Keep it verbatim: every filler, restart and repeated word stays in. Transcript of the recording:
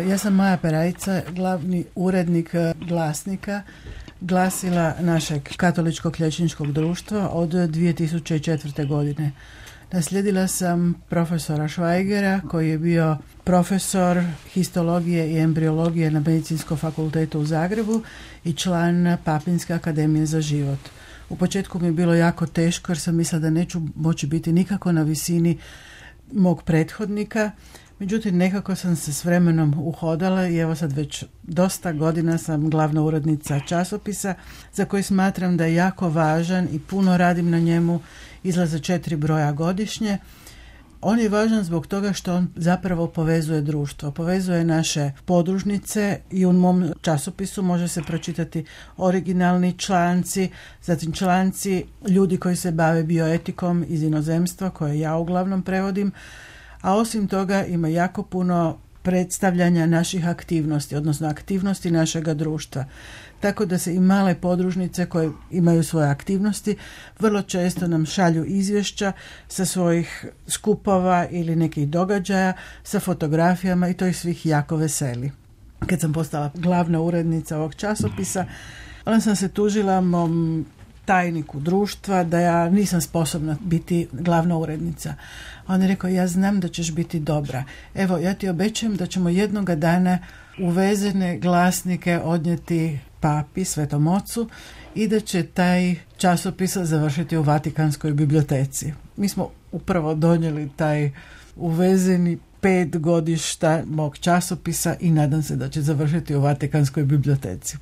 Ja sam Maja Perajica, glavni urednik glasnika, glasila našeg katoličkog liječničkog društva od dvije tisuće četvrte. godine. Naslijedila sam profesora Švajgera koji je bio profesor histologije i embriologije na Medicinskom fakultetu u Zagrebu i član Papinske akademije za život. U početku mi je bilo jako teško jer sam mislila da neću moći biti nikako na visini mog prethodnika. Međutim, nekako sam se s vremenom uhodala i evo sad već dosta godina sam glavna urednica časopisa za koji smatram da je jako važan i puno radim na njemu. Izlaze četiri broja godišnje. On je važan zbog toga što on zapravo povezuje društvo, povezuje naše podružnice i u mom časopisu može se pročitati originalni članci, zatim članci ljudi koji se bave bioetikom iz inozemstva koje ja uglavnom prevodim, a osim toga ima jako puno predstavljanja naših aktivnosti, odnosno aktivnosti našega društva. Tako da se i male podružnice koje imaju svoje aktivnosti vrlo često nam šalju izvješća sa svojih skupova ili nekih događaja sa fotografijama i to ih svih jako veseli. Kad sam postala glavna urednica ovog časopisa, onda sam se tužila mom tajniku društva da ja nisam sposobna biti glavna urednica. On je rekao, ja znam da ćeš biti dobra. Evo, ja ti obećajem da ćemo jednoga dana uvezene glasnike odnijeti papi, Svetom Ocu, i da će taj časopis završiti u Vatikanskoj biblioteci. Mi smo upravo donijeli taj uvezeni pet godišta mog časopisa i nadam se da će završiti u Vatikanskoj biblioteci.